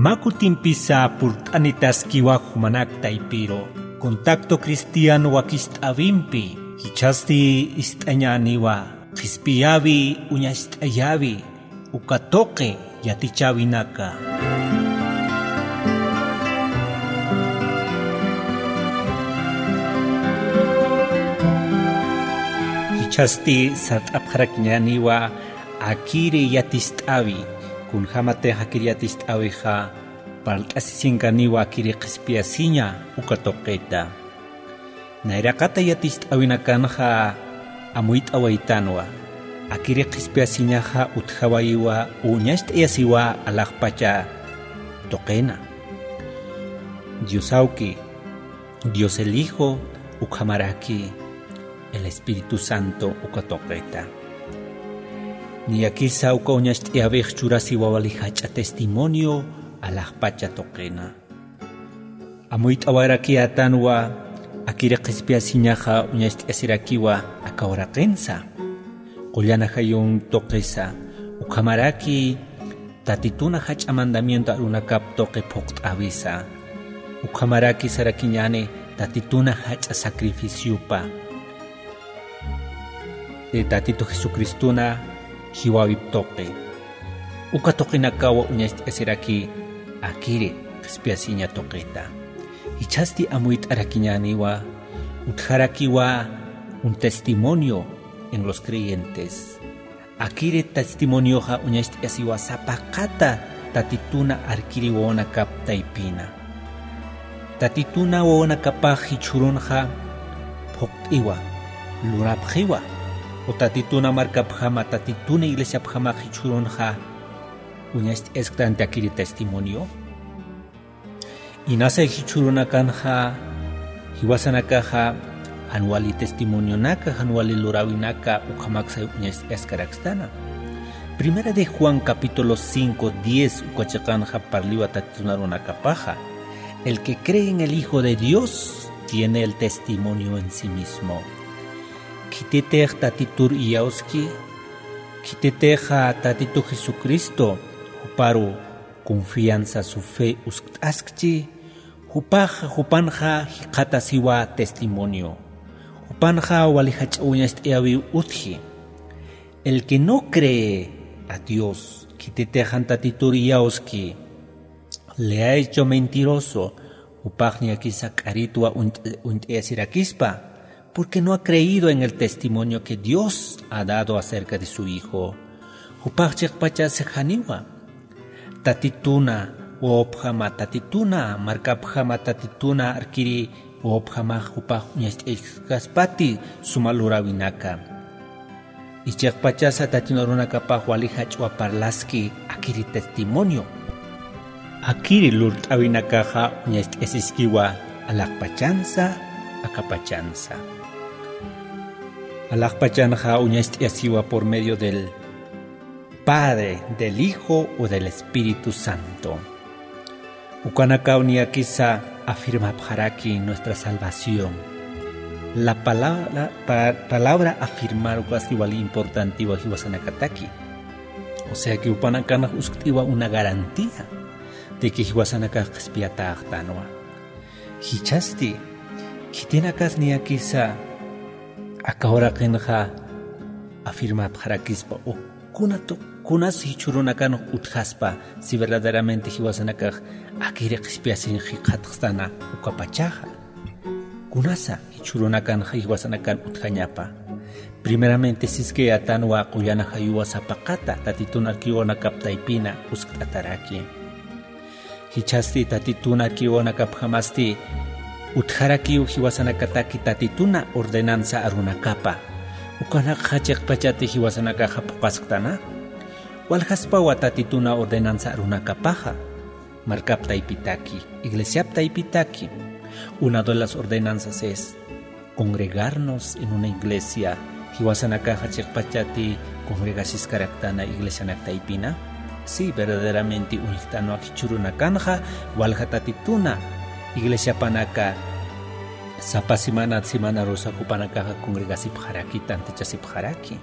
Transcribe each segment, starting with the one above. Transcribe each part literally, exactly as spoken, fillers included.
Mä kutimpisa purt'anitaskiwa jumanak taypiru, Contacto Cristiano wakist'äwimpi, jichhasti ist'añäniwa, qhispiyäwi, uñacht'ayäwi, uka tuqi yatichäwinaka. Jichhasti sart'apxarakiñäniwa akiri yatist'äwi, kunjämatix akiri yatist'äwixa, parlt'asisinkaniwa akiri qhispiyasiña uka tuqita. Nayraqata yatist'äwinakanxa amuyt'awaytanwa, akiri qhispiyasiñaxa utjawayiwa, uñacht'ayasiwa alaxpacha tuqina. Dios Awki, Dios el Hijo, ukhamaraki el Espíritu Santo uka tuqita. Niyakisa uka uñacht'ayäwix churasiwa wali jach'a testimonio alaxpacha tuqina. Amuyt'awarakiyätanwa, akiri qhispiyasiñaxa uñacht'ayasirakiwa aka uraqinsa. Qullan ajayun tuqisa, ukhamaraki Tatituna jach'a mandamiento arunakap tuqi phuqt'äwisa. Ukhamaraki sarakiñäni Tatituna jach'a sacrificiopa. Tatitu Jesucristuna jiwäwip tuqi. Uka tuqinakawa uñacht'ayasiraki akiri qhispiyasiña tuqita. Jichhasti amuyt'arakiñäniwa, utjarakiwa un testimonio en los creyentes. Akiri testimonioxa uñacht'ayasiwa sapaqata Tatituna arkiri wawanakap taypina. Tatituna wawanakapax jichhürunxa phuqt'iwa, lurapxiwa, o Tatituna markapjama, Tatituna iglesiapjamax jichhürunxa uñacht'ayasktanti akiri testimonio. Inasa jichhürunakanxa, jiwasanakaxa, jan wali testimonionaka, jan wali luräwinaka, ukhamaksay uñacht'ayaskarakstana. Primera de Juan capítulo cinco, diez, uka chiqanxa parliwa Tatitun arunakapaxa. El que cree en el Hijo de Dios tiene el testimonio en sí mismo. Khititix Tatitur iyawski, khititixa Tatitu Jesucristo, juparu confianza, su fe uskt'askchi, jupax, jupanxa jikxatasiwa testimonio. Jupanxa wali jach'a uñacht'ayäwiw utji. El que no cree a Dios, khititix jan Tatitur iyawski, le ha hecho mentiroso, jupax niyakisa k'aritwa uñt-, uñt'ayasirakispa, porque no ha creído en el testimonio que Dios ha dado acerca de su Hijo. Jupax chiqpachasa janiwa. Tatituna wawapjama, Tatituna markapjama, Tatituna arkiri wawapjamax jupax uñacht'ayaskaspati suma luräwinaka. Ichiqpachasa Tatitun arunakapax wali jach'a parlaski akiri testimonio. Akiri lurt'äwinakaxa uñacht'ayasiskiwa alaxpachansa, akapachansa. Alaxpachanxa uñacht'ayasiwa por medio del Padre, del Hijo o del Espíritu Santo. Ukanakaw niyakisa afirmapxaraki nuestra salvación. La palabra, pa-, palabra afirmar ukasti wali importantiwa jiwasanakataki. O sea que jupanakanx uskt'iwa una garantía de que jiwasanakax qhispiyatäxtanwa. Jichhasti, khitinakas niyakisa aka uraqinxa afirmapxarakispa o kunatu-, kunas jichhürunakan utjaspa, si verdaderamente jiwasanakax akiri qhispiyasiñ jikxatxstana ukapachaxa. Kunasa jichhürunakanxa jiwasanakan utjañapa. Primeramente siskayätanwa qullan ajayuwa sapaqata Tatitun arkiri wawanakap taypina uskt'ataraki. Jichhasti Tatitun arkiri wawanakapjamasti utjarakiw jiwasanakataki Tatituna ordenanza arunakapa. Ukanakxa chiqpachati jiwasanakaxa phuqasktana. Waljaspawa Tatituna ordenanza arunakapaxa. Markap taypitaki, iglesiap taypitaki. Una de las ordenanzas es congregarnos en una iglesia, jiwasanakaxa chiqpachati congregasiskaraktana iglesianak taypina. Sí, verdaderamente uñjtanwa jichhürunakanxa, walja Tatituna iglesiapanaka sapa semana, semanarusa jupanakaxa congregasipxaraki, tantichasipxaraki.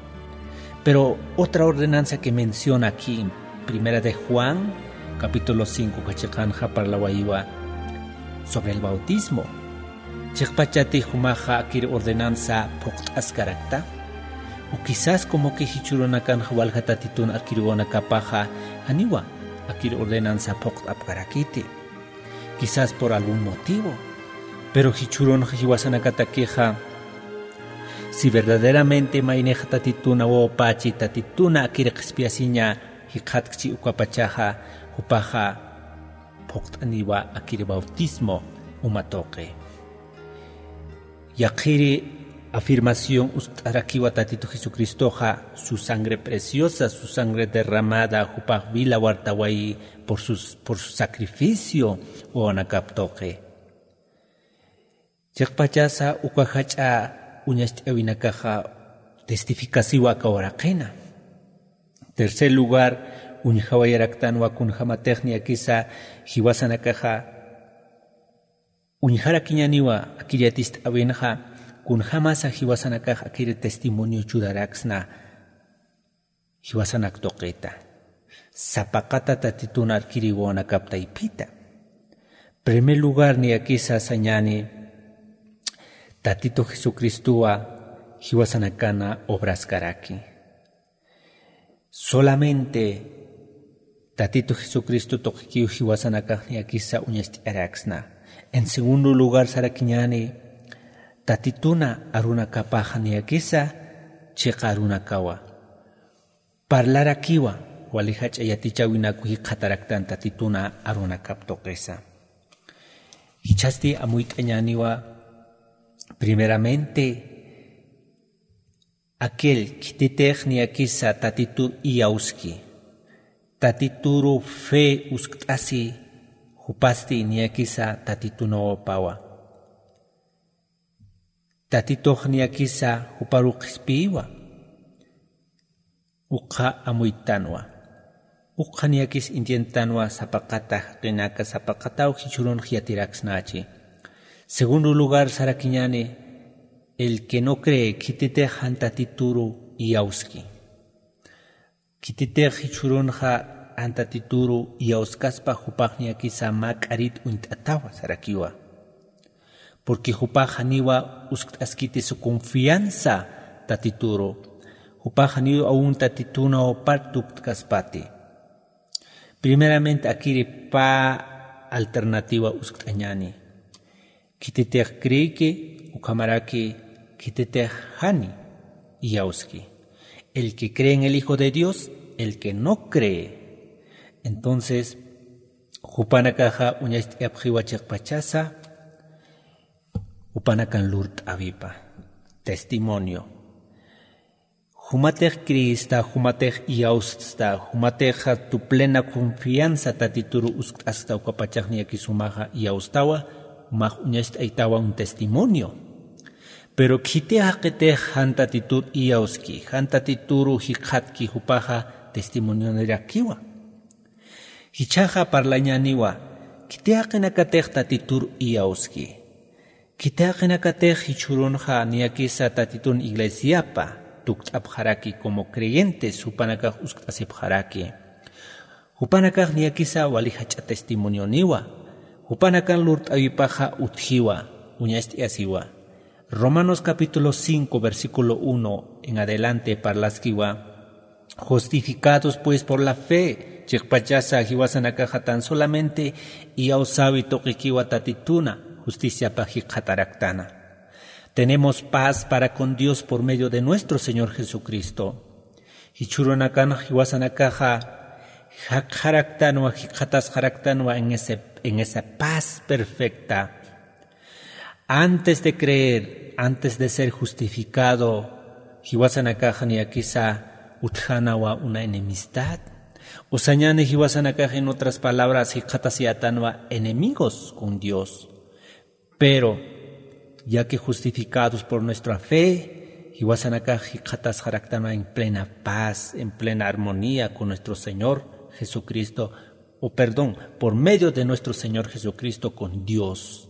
Pero otra ordenanza que menciona aquí en Primera de Juan, Capítulo cinco kachiqanxa parlawayiwa sobre el bautismo. Chiqpachati jumaxa akir ordenanza phuqt'askarakta. O quizás como que jichhurunakanxa walja tatitun akiriwanakapaxa janiwa akir ordenanza phuqt'apkarakiti. Quizás por algún motivo. Pero jichhurunxa jiwasanakatakixa si verdaderamente maynixa tatituna wawapachi tatituna akir qhispiyasiña jikxatkchi ukapachaxa jupaxa phuqt'aniwa akir bautismo uma tuqi. Yaqhiri afirmación uskt'arakiwa tatitu jesucristoxa su sangre preciosa su sangre derramada jupax vila wartawayi por su sacrificio wawanakap tuqi. Chiqpachasa uka jach'a uñacht'awinakaxa testificasiwa aka waraqina. Tercer lugar, uñjawayaraktanwa kunjamatix niyakisa jiwasanakaxa uñjarakiñaniwa akir yatist'awinxa kunjamasa jiwasanakax akir testimonio churaraksna. Jiwasanak tuqita sapaqata tatitun arkiriwanakap taypita. Primer lugar niyakisa sañani tatitu jesucristowa jiwasanakana obraskaraki. Solamente tatitu jesucristo tuqikiw jiwasanakax niyakisa uñast'araksna. En segundo lugar sarakiñani tatituna arunakapaxa niyakisa chiqa arunakawa parlarakiwa wali jach'a yatichäwinaku jikxataraktan tatituna arunakap tuqisa. Jichhasti amuyt'añäniwa primeramente aquel khititix niyakisa tatitur iyawski tatituru fe uskt'asi jupasti niyakisa tatitunawapawa. Tatitux niyakisa juparu qhispiyiwa. Ukxa amuyttanwa ukxa niyakis entiendtanwa sapaqata jaqinaka sapaqataw jichhurunx yatiraksnachi. Segundo lugar sarakiñani el que no cree khititix jan tatituru iyawski. Khititix jichhurunxa jan tatituru iyawskaspa jupax niyakisa mä k'arit uñt'atawa sarakiwa. Porque jupax janiwa uskt'askiti su confianza tatituru jupax janiw awun tatituna wapar tuktk'aspati. Primeramente akiri pä alternativa uskt'añani. Khititix creeki ukhamaraki khititix jani iyawski. El que cree en el hijo de dios, el que no cree. Entonces jupanakaxa uñacht'ayapxiwa chiqpachasa jupanakan lurt'awipa testimonio. Jumatix creesta jumatix iyawsta jumatixa tu plena confianza tatituru uskt'asta ukapachax niyakis jumaxa iyawstawa jumax uñacht'aytawan testimonio. Pero khiti jaqitix jan tatitur iyawski jan tatituru jikxatki jupaxa testimonionirakiwa. Jichhaxa parlañäniwa khiti jaqinakatix tatitur iyawski. Khiti jaqinakatix jichhürunxa niyakisa tatitun iglesiapa tukt'apxaraki como creyentes jupanakax uskt'asipxaraki. Jupanakax niyakisa wali jach'a testimonioniwa. Jupanakan lurt'awipaxa utjiwa uñacht'ayasiwa. Romanos capítulo cinco versículo uno en adelante parlaskiwa. Justificados pues por la fe chiqpachasa jiwasanakaxa tan solamente iyawsäwi tuqikiwa tatituna justiciapa jikxataraktana. Tenemos paz para con dios por medio de nuestro señor jesucristo. Jichhürunakan jiwasanakaxa jakxaraktanwa jikxatasxaraktanwa en esa paz perfecta. Antes de creer antes de ser justificado jiwasanakax niyakisa utjänawa una enemistad. Usañani jiwasanakax en otras palabras jikxatasiyätanwa enemigos con dios. Pero ya que justificados por nuestra fe jiwasanakax jikxatasxaraktanwa en plena paz en plena armonía con nuestro señor jesucristo, o perdón, por medio de nuestro señor jesucristo con dios.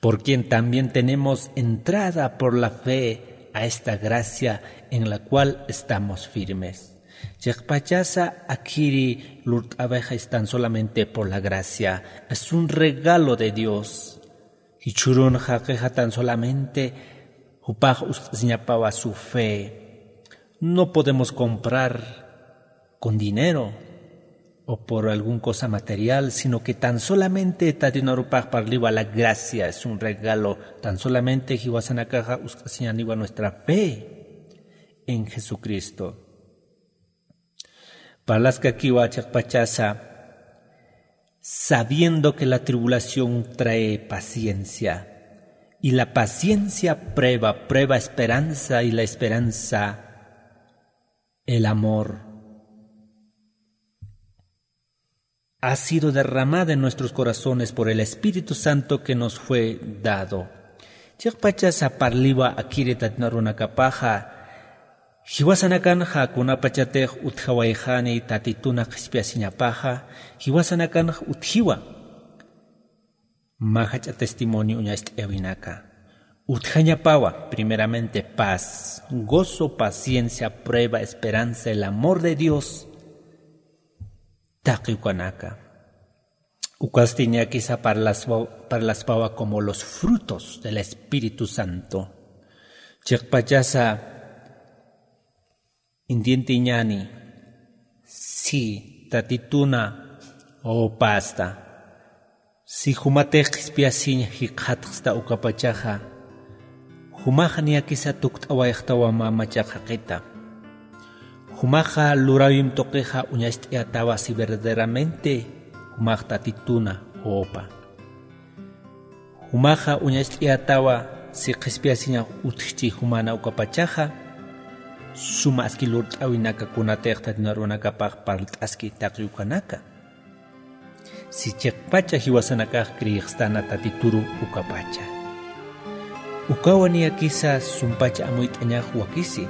Por quien también tenemos entrada por la fe a esta gracia en la cual estamos firmes. Chiqpachasa akhiri lurt'awixa es tan solamente por la gracia, es un regalo de Dios. Jichhürun jaqixa tan solamente jupax ust'asiñapawa su fe. No podemos comprar con dinero o por alguna cosa material, sino que tan solamente Tatitu arupax parliwa la gracia, es un regalo. Tan solamente jiwasanakaxa ust'asiñaniwa nuestra fe en Jesucristo. Parlaskakiwa chiqpachasa, sabiendo que la tribulación trae paciencia, y la paciencia prueba, prueba esperanza, y la esperanza el amor ha sido derramada en nuestros corazones por el Espíritu Santo que nos fue dado. Chiqpachasa parliwa akhiri Tatitu arunakapaxa, jiwasanakanxa kunapachatix utjawayxani Tatituna qhispiyasiñapaxa, jiwasanakanxa utjiwa. Mä jach'a testimonio uñacht'ayawinaka. Utjañapawa, primeramente, paz, gozo, paciencia, prueba, esperanza, el amor de Dios. Taqi ukanaka. Ukasti niyakisa parlaspa-, parlaspawa como los frutos del Espíritu Santo. Chiqpachasa entiendeñani, si Tatituna o pasta, si jumatix qhispiyasiñ jikxatxsta ukapachaxa, jumaxa niyakisa tukt'awayxtawa mä machaq jaqita. Jumaxa luräwimp tuqixa uñacht'ayätawa si verdaderamente jumax Tatituna jopa. Jumaxa uñacht'ayätawa si qhispiyasiñax utjchi jumana ukapachaxa, suma aski lurt'äwinaka kunatix Tatitu arunakapax parlt'aski taqi ukanaka. Si chiqpacha jiwasanakax creexstana Tatituru ukapacha. Ukawa niyakisa sumpacha amuyt'añax wakisi.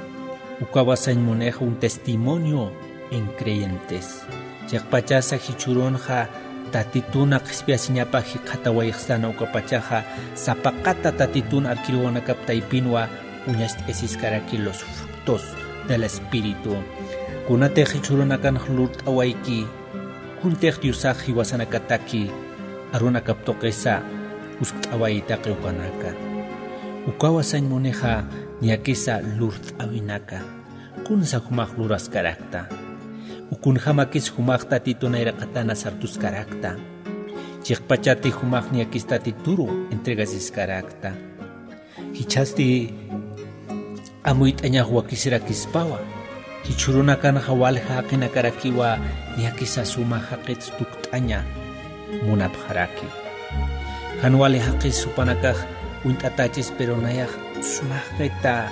Ukawa sañ munixa un testimonio en creyentes. Chiqpachasa jichhürunxa Tatituna qhispiyasiñapa jikxatawayxstana ukapachaxa, sapaqata Tatitun arkiruwanakap taypinwa uñacht'ayasiskaraki los frutos del Espíritu. Kunatix jichhürunakanx lurt'awayki, kuntix Diosax jiwasanakataki arunakap tuqisa uskt'awayi taqi ukanaka. Ukawa sañ munixa niyakisa lurt'äwinaka. Kunsa jumax luraskarakta. Ukunjamakis jumax Tatitun nayraqatana sartuskarakta. Chiqpachati jumax niyakis Tatituru entregasiskarakta. Jichhasti amuyt'añax wakisirakispawa. Jichhürunakanxa walja jaqinakarakiwa niyakisa suma jaqit tukt'aña munapxaraki. Jan wali jaqis jupanakax uñt'atächis, pero nayax suma jaqita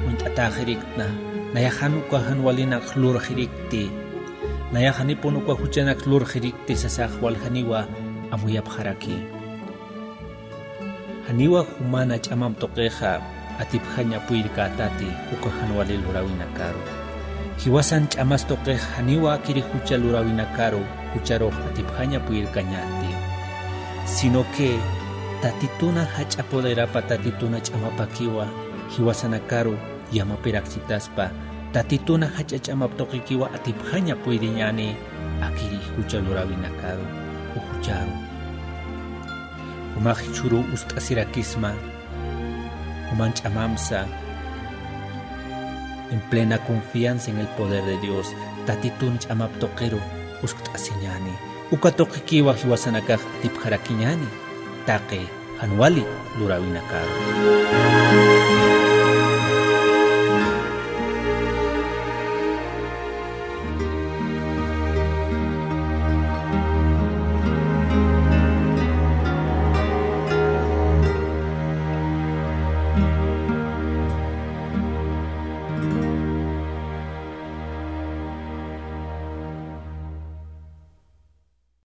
uñt'atäxiriktna. Nayax jan uka jan walinak lurxirikti. Nayax janipun uka juchanak lurxirikti sasax waljaniwa amuyapxaraki. Janiwa jumana ch'amamp tuqixa atipjaña puyirkätati uka jan wali luräwinakaru. Jiwasan ch'amas tuqix janiwa akiri jucha luräwinakaru jucharux atipjaña puyirkañäti. Sino que Tatituna jach'a poderapa Tatituna ch'amapakiwa jiwasanakaru yamapirakchitaspa, Tatituna jach'a ch'amap tuqikiwa atipjaña puyiriñäni akiri jucha luräwinakaru o jucharu. Jumax jichhüru ust'asirakisma, juman ch'amamsa, en plena confianza en el poder de Dios, Tatitun ch'amap tuqiru uskt'asiñäni. Uka tuqikiwa jiwasanakax atipjarakiñäni, taqi jan wali luräwinakaru.